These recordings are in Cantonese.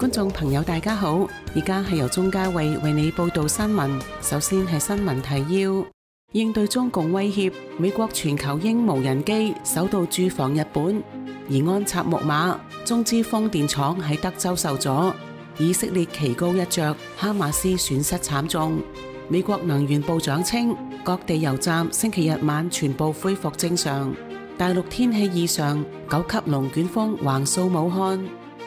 觀眾朋友大家好，而家係由鍾嘉慧為你報道新聞。首先係新聞提要：應對中共威脅，美國全球鷹無人機首度駐防日本；而安插木馬，中資風電廠喺德州受阻；以色列旗高一着，哈馬斯損失慘重。美國能源部長稱，各地油站星期日晚全部恢復正常。大陸天氣異常，9級龍捲風橫掃武漢。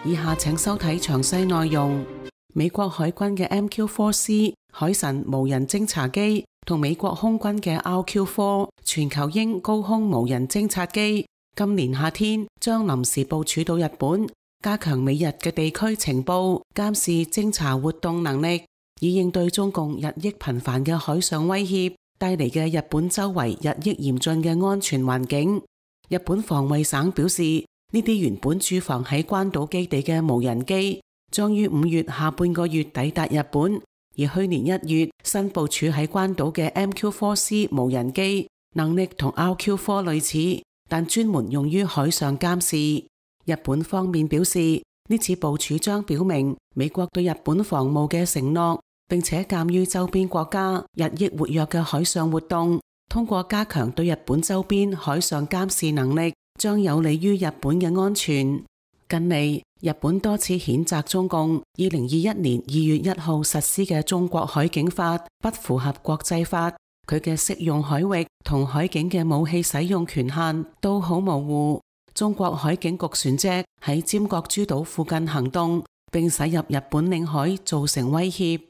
以下請收睇詳細內容。美國海軍嘅 MQ-4C 海神無人偵察機同美國空軍嘅 RQ-4 全球鷹高空無人偵察機，今年夏天將臨時部署到日本，加強美日嘅地區情報、監視、偵察活動能力，以應對中共日益頻繁嘅海上威脅帶嚟嘅日本周圍日益嚴峻嘅安全環境。日本防衛省表示，呢啲原本駐防喺關島基地嘅無人機，將於5月下半個月抵達日本。而去年1月新部署喺關島嘅 MQ-4C 無人機，能力同 RQ-4 類似，但專門用於海上監視。日本方面表示，呢次部署將表明美國對日本防務嘅承諾，並且鑒於周邊國家日益活躍嘅海上活動，通過加強對日本周邊海上監視能力，將有利於日本嘅安全。近嚟，日本多次譴責中共2021年2月1號實施嘅中國海警法不符合國際法，佢嘅適用海域同海警嘅武器使用權限都好模糊。中國海警局船隻喺尖閣諸島附近行動，並駛入日本領海，造成威脅。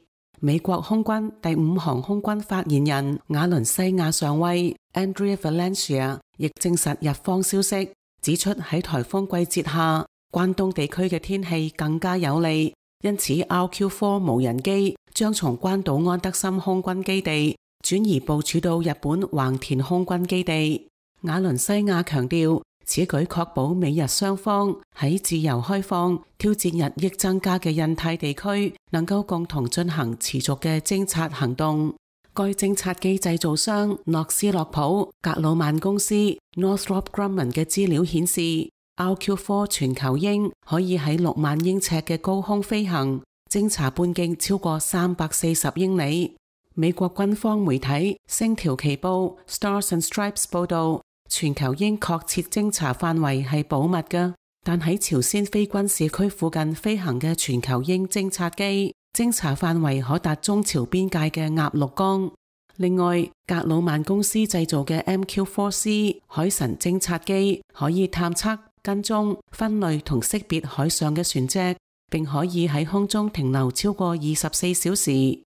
美國空軍第5航空軍發言人瓦倫西亞上尉 Andrea Valencia 亦證實日方消息，指出喺颱風季節下，關東地區嘅天氣更加有利，因此 RQ-4 無人機將從關島安德森空軍基地轉移部署到日本橫田空軍基地。瓦倫西亞強調，此舉確保美日雙方喺自由開放、挑戰日益增加嘅印太地區，能夠共同進行持續嘅偵察行動。該偵察機製造商諾斯洛普格魯曼公司 Northrop Grumman 嘅資料顯示，RQ-4 全球鷹可以喺6萬英尺嘅高空飛行，偵察半徑超過340英里。美國軍方媒體星條旗報 Stars and Stripes 報道，全球鷹確切偵察範圍係保密㗎，但喺朝鮮非軍事區附近飛行嘅全球鷹偵察機，偵察範圍可達中朝邊界嘅鴨綠江。另外，格魯曼公司製造嘅 MQ-4C 海神偵察機可以探測、跟蹤、分類同識別海上嘅船隻，並可以喺空中停留超過24小時。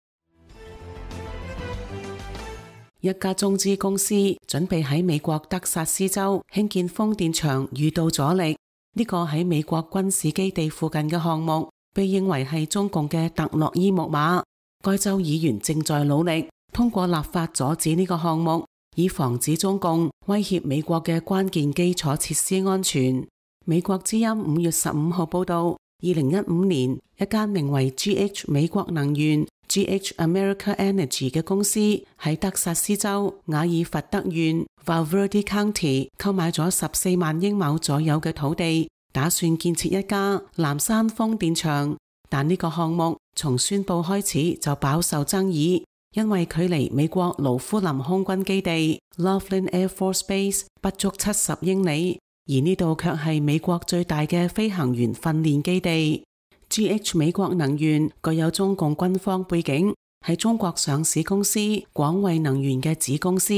一家中資公司準備喺美國德薩斯州興建風電場遇到阻力。呢個喺美國軍事基地附近嘅項目被認為係中共嘅特洛伊木馬。該州議員正在努力通過立法阻止呢個項目，以防止中共威脅美國嘅關鍵基礎設施安全。美國之音5月15號報道，2015年一間名為 GH 美國能源 GH America Energy 嘅公司喺德薩斯州瓦爾弗德縣 Valverde County 購買咗14萬英畝左右嘅土地，打算建設一家藍山風電場。但呢個項目從宣佈開始就飽受爭議，因為距離美國盧夫林空軍基地 Laughlin Air Force Base 不足70英里，而呢度卻係美國最大嘅飛行員訓練基地。GH 美國能源具有中共軍方背景，係中國上市公司廣衛能源嘅子公司，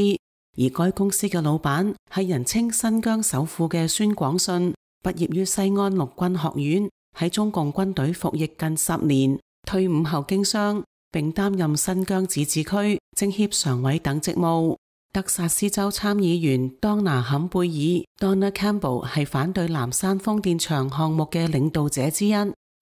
而該公司嘅老闆係人稱新疆首富嘅孫廣信，畢業於西安陸軍學院，喺中共軍隊服役近10年，退伍後經商，並擔任新疆自治區政協常委等職務。德薩斯州參議員當拿坎貝爾 Donna Campbell 係反對藍山風電場項目嘅領導者之一。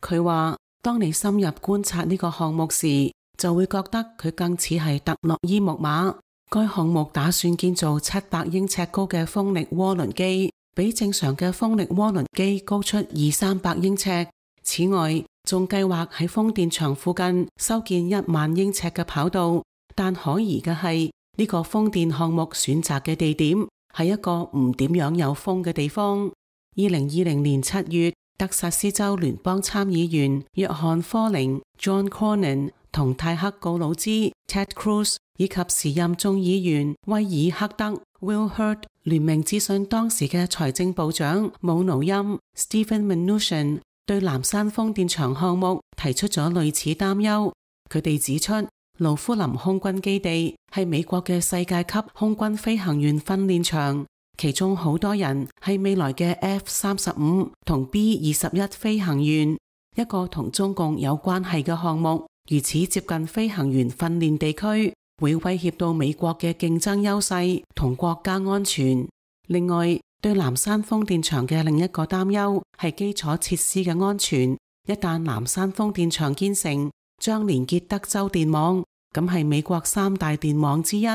佢話，當你深入觀察呢個項目時，就會覺得佢更似係特洛伊木馬。該項目打算建造700英尺高嘅風力渦輪機，比正常嘅風力渦輪機高出200-300英尺。此外，仲計劃喺風電場附近修建1萬英尺嘅跑道。但可疑嘅係，呢個風電項目選擇嘅地點係一個唔點樣有風嘅地方。2020年7月，德薩斯州聯邦參議員約翰科寧 John Cornyn 同泰克告魯茲 Ted Cruz 以及時任眾議員威爾克德 Will Hurd 聯名諮詢當時嘅財政部長姆努欽 Stephen Mnuchin 對藍山風電場項目提出咗類似擔憂。佢哋指出，盧夫林空軍基地係美國嘅世界級空軍飛行員訓練場，其中好多人係未來嘅 F-35同 B-21飛行員。一個同中共有關係嘅項目，如此接近飛行員訓練地區，會威脅到美國嘅競爭優勢同國家安全。另外，對藍山風電場嘅另一個擔憂係基礎設施嘅安全。一旦藍山風電場建成，將連結德州電網，咁係美國三大電網之一。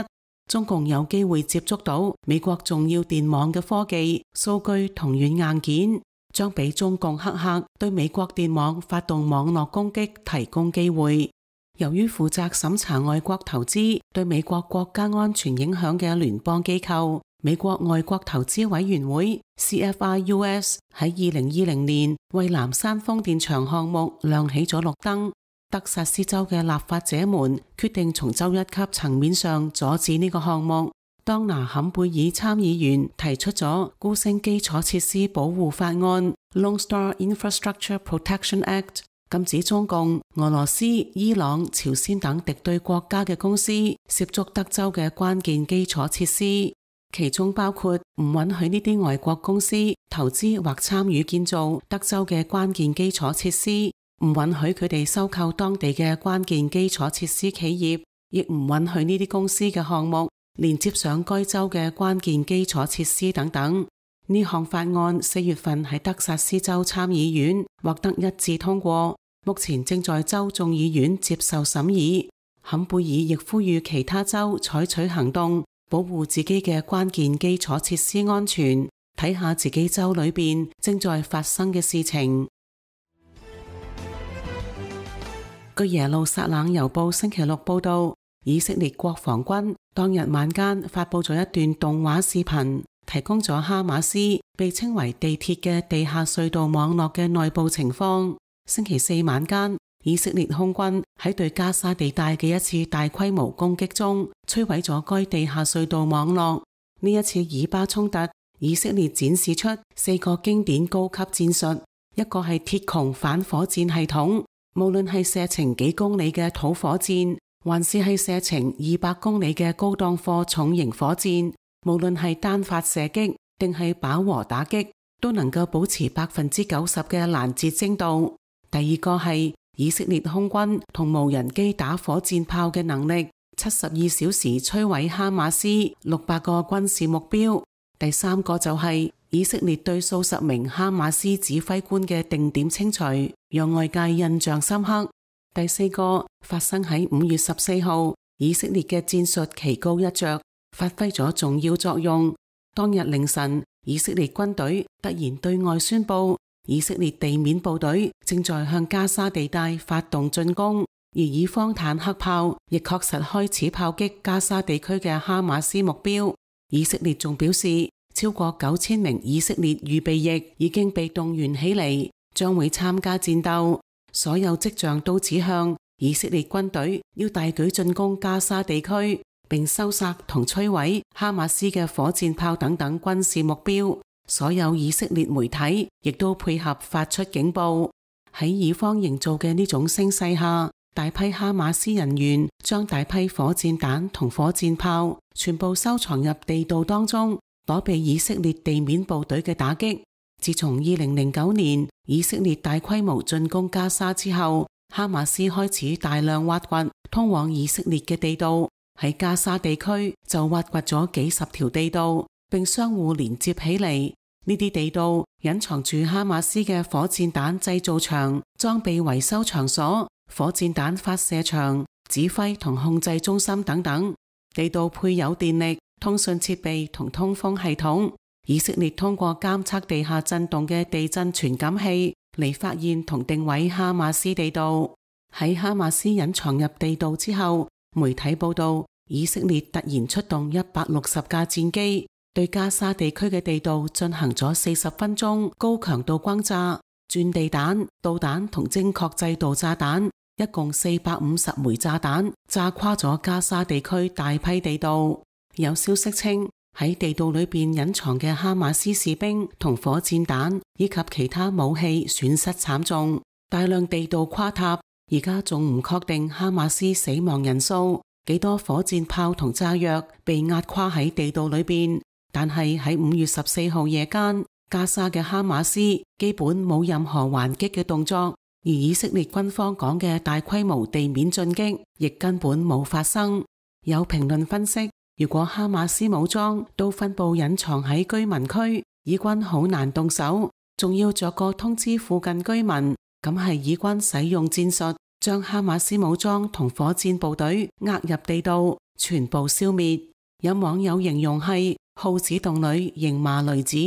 中共有機會接觸到美國重要電網嘅科技、數據同軟硬件，將俾中共黑客對美國電網發動網絡攻擊提供機會。由於負責審查外國投資對美國國家安全影響嘅聯邦機構美國外國投資委員會 CFIUS 喺2020年為藍山風電場項目亮起咗綠燈。德薩斯州嘅立法者們決定從州一級層面上阻止呢個項目。當拿坎貝爾參議員提出咗高升基礎設施保護法案 Lone Star Infrastructure Protection Act， 禁止中共、俄羅斯、伊朗、朝鮮等敵對國家嘅公司涉足德州嘅關鍵基礎設施，其中包括唔允許呢啲外國公司投資或參與建造德州嘅關鍵基礎設施，唔允許佢哋收購當地嘅關鍵基礎設施企業，亦唔允許呢啲公司嘅項目連接上該州嘅關鍵基礎設施等等。呢項法案4月份喺德薩斯州參議院獲得一致通過，目前正在州眾議院接受審議。坎貝爾亦呼籲其他州採取行動，保護自己嘅關鍵基礎設施安全，睇下自己州裏邊正在發生嘅事情。據耶路撒冷郵報星期六報道，以色列國防軍當日晚間發佈咗一段動畫視頻，提供咗哈馬斯被稱為地鐵嘅地下隧道網絡嘅內部情況。星期四晚間，以色列空軍喺對加沙地帶嘅一次大規模攻擊中，摧毀咗該地下隧道網絡。呢一次以巴衝突，以色列展示出4個經典高級戰術，一個係鐵穹反火箭系統。無論係射程幾公里嘅土火箭，還是係射程200公里嘅高檔貨重型火箭，無論係單發射擊定係飽和打擊，都能夠保持90%嘅攔截精度。第二個係以色列空軍同無人機打火箭炮嘅能力，72小時摧毀哈馬斯600個軍事目標。第三個就係以色列對數十名哈馬斯指揮官嘅定點清除，讓外界印象深刻。第四個發生喺5月14號，以色列嘅戰術棋高一着，發揮咗重要作用。當日凌晨，以色列軍隊突然對外宣布，以色列地面部隊正在向加沙地帶發動進攻，而以方坦克炮亦確實開始炮擊加沙地區嘅哈馬斯目標。以色列仲表示，超過9000名以色列預備役已經被動員起嚟，將會參加戰鬥。所有跡象都指向以色列軍隊要大舉進攻加沙地區，並收殺同摧毀哈馬斯嘅火箭炮等等軍事目標。所有以色列媒體亦都配合發出警報。喺以方營造嘅呢種聲勢下，大批哈馬斯人員將大批火箭彈同火箭炮全部收藏入地道當中，躲避以色列地面部隊嘅打擊。自從2009年以色列大規模進攻加沙之後，哈馬斯開始大量挖掘通往以色列嘅地道。喺加沙地區就挖掘咗幾十條地道，並相互連接起嚟。呢啲地道隱藏住哈馬斯嘅火箭彈製造場、裝備維修場所、火箭彈發射場、指揮同控制中心等等。地道配有電力、通訊設備同通風系統。以色列通過監測地下震動嘅地震傳感器嚟發現同定位哈馬斯地道。喺哈馬斯隱藏入地道之後，媒體報道以色列突然出動160架戰機，對加沙地區嘅地道進行咗40分鐘高強度轟炸。鑽地彈、導彈同精確制導炸彈，一共450枚炸彈炸垮咗加沙地區大批地道。有消息稱，喺地道裏邊隱藏嘅哈馬斯士兵同火箭彈以及其他武器損失慘重，大量地道垮塌。而家仲唔確定哈馬斯死亡人數，幾多火箭炮同炸藥被壓垮喺地道裏邊。但係喺5月14號夜間，加沙嘅哈馬斯基本冇任何還擊嘅動作，而以色列軍方講嘅大規模地面進擊亦根本冇發生。有評論分析，如果哈馬斯武裝都分布隱藏喺居民區，以軍好難動手，仲要逐個通知附近居民，咁係以軍使用戰術將哈馬斯武裝同火箭部隊壓入地道，全部消滅。有網友形容係耗子洞裏迎麻雷子。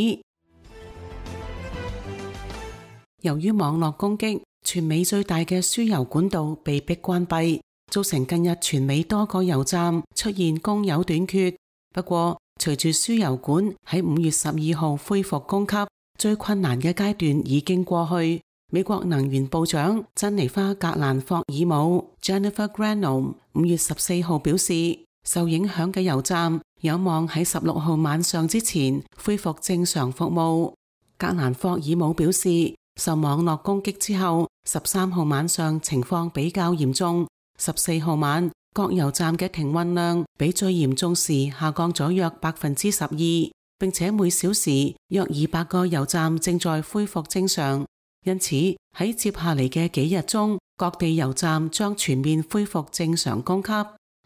由於網絡攻擊，全美最大嘅輸油管道被迫關閉，造成近日全美多個油站出現供油短缺。不過，隨住輸油管喺5月12號恢復供給，最困難嘅階段已經過去。美國能源部長珍妮花·格蘭霍爾姆 Jennifer Granholm 5月14號表示，受影響嘅油站有望喺16號晚上之前恢復正常服務。格蘭霍爾姆表示，受網絡攻擊之後，13號晚上情況比較嚴重。14號晚，各油站嘅停運量比最嚴重時下降咗約12%，並且每小時約200個油站正在恢復正常。因此喺接下嚟嘅幾日中，各地油站將全面恢復正常供給。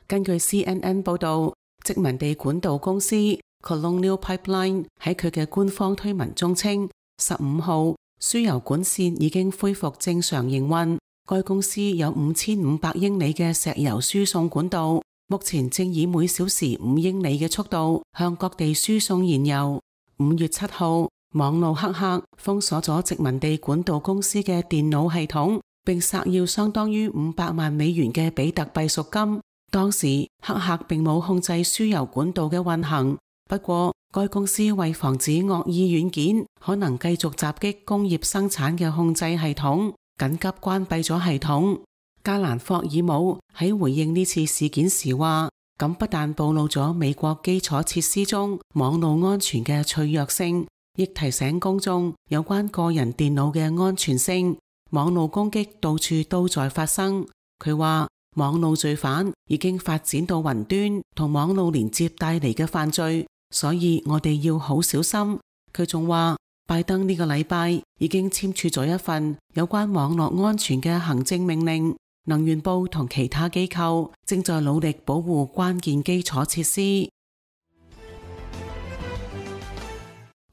根據 CNN 報道，殖民地管道公司 Colonial Pipeline 喺佢嘅官方推文中稱，15號輸油管線已經恢復正常營運。該公司有5500英里嘅石油輸送管道，目前正以每小時5英里嘅速度向各地輸送燃油。5月7號，網路黑客封鎖咗殖民地管道公司嘅電腦系統，並索要相當於500萬美元嘅比特幣贖金。當時黑客並冇控制輸油管道嘅運行，不過該公司為防止惡意軟件可能繼續襲擊工業生產嘅控制系統，緊急關閉咗系統。格蘭霍爾姆喺回應呢次事件時話，咁不但暴露咗美國基礎設施中網絡安全嘅脆弱性，亦提醒公眾有關個人電腦嘅安全性。網絡攻擊到處都在發生。佢話網絡罪犯已經發展到雲端同網絡連接帶嚟嘅犯罪，所以我哋要好小心。佢仲話，拜登呢個禮拜已經簽署咗一份有關網絡安全嘅行政命令，能源部同其他機構正在努力保護關鍵基礎設施。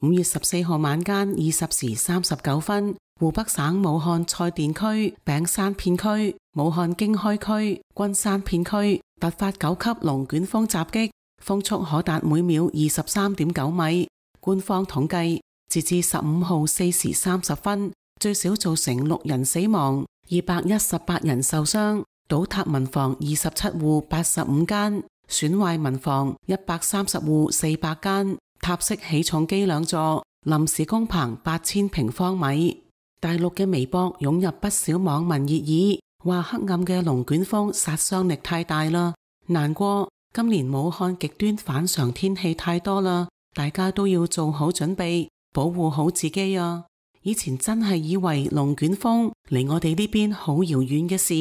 5月14號晚間20時39分，湖北省武漢蔡甸區餅山片區、武漢經開區、君山片區突發9級龍捲風襲擊，風速可達每秒23.9米。官方統計，截至15號4時30分，最少造成6人死亡，218人受傷，倒塌民房27戶85間，損壞民房130戶400間。塔式起重機2座，臨時工棚8000平方米。大陸嘅微博湧入不少網民熱議，話黑暗嘅龍捲風殺傷力太大啦，難過今年武漢極端反常天氣太多啦，大家都要做好準備，保護好自己啊！以前真係以為龍捲風離我哋呢邊好遙遠嘅事，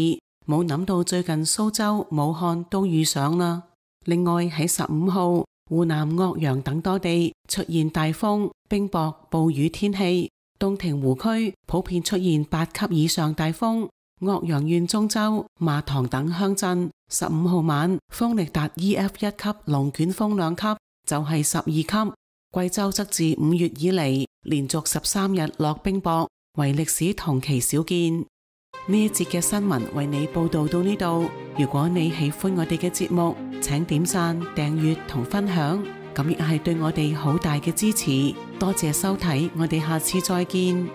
冇諗到最近蘇州、武漢都遇上啦。另外喺15號，湖南岳陽等多地出現大風、冰雹、暴雨天氣，洞庭湖區普遍出現8級以上大風。岳陽縣中州、麻塘等鄉鎮15號晚風力達 EF 1級龍捲風2級，就係12級。貴州則自5月以嚟連續13日落冰雹，為歷史同期少見。呢一節嘅新聞為你報道到呢度。如果你喜歡我哋嘅節目，請點讚、訂閱同分享，咁亦係對我哋好大嘅支持。多謝收睇，我哋下次再見。